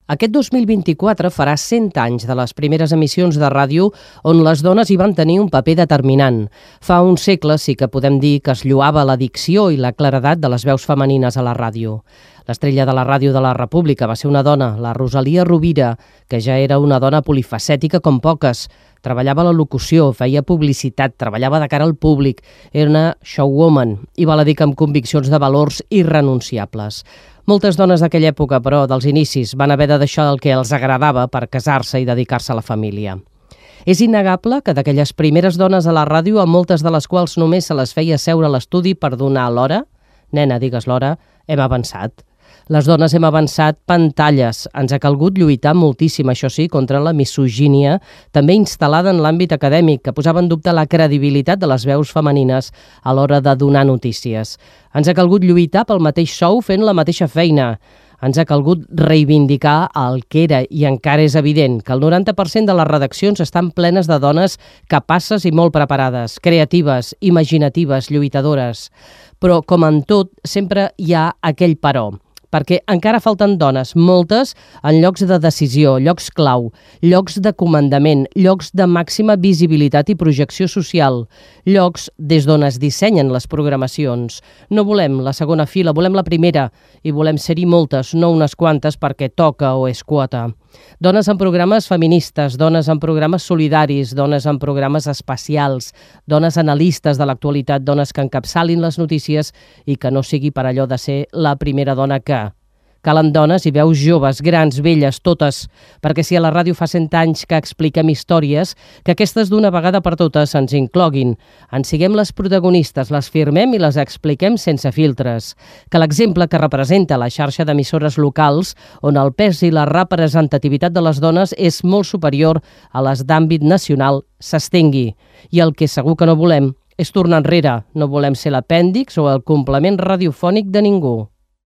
Aquest 2024 farà 100 anys de les primeres emissions de ràdio on les dones hi van tenir un paper determinant. Fa un segle sí que podem dir que es lloava la dicció i la claredat de les veus femenines a la ràdio. L'estrella de la ràdio de la República va ser una dona, la Rosalia Rovira, que ja era una dona polifacètica com poques. Treballava a la locució, feia publicitat, treballava de cara al públic, era una showwoman i val a dir que amb conviccions de valors irrenunciables. Moltes dones d'aquella època, però, dels inicis, van haver de deixar el que els agradava per casar-se i dedicar-se a la família. És innegable que d'aquelles primeres dones a la ràdio, a moltes de les quals només se les feia seure a l'estudi per donar l'hora, nena, digues l'hora, hem avançat. Les dones hem avançat pantalles. Ens ha calgut lluitar moltíssim, això sí, contra la misogínia, també instal·lada en l'àmbit acadèmic, que posava en dubte la credibilitat de les veus femenines a l'hora de donar notícies. Ens ha calgut lluitar pel mateix sou fent la mateixa feina. Ens ha calgut reivindicar el que era i encara és evident que el 90% de les redaccions estan plenes de dones capaces i molt preparades, creatives, imaginatives, lluitadores. Però, com en tot, sempre hi ha aquell però, perquè encara falten dones, moltes, en llocs de decisió, llocs clau, llocs de comandament, llocs de màxima visibilitat i projecció social, llocs des d'on es dissenyen les programacions. No volem la segona fila, volem la primera, i volem ser-hi moltes, no unes quantes perquè toca o és quota. Dones en programes feministes, dones en programes solidaris, dones en programes espacials, dones analistes de l'actualitat, dones que encapçalin les notícies i que no sigui per allò de ser la primera dona que... Calen dones i veus joves, grans, velles, totes, perquè si a la ràdio fa 100 anys que expliquem històries, que aquestes d'una vegada per totes ens incloguin, en siguem les protagonistes, les firmem i les expliquem sense filtres. Que l'exemple que representa la xarxa d'emissores locals, on el pes i la representativitat de les dones és molt superior a les d'àmbit nacional, s'estengui. I el que segur que no volem és tornar enrere. No volem ser l'apèndix o el complement radiofònic de ningú.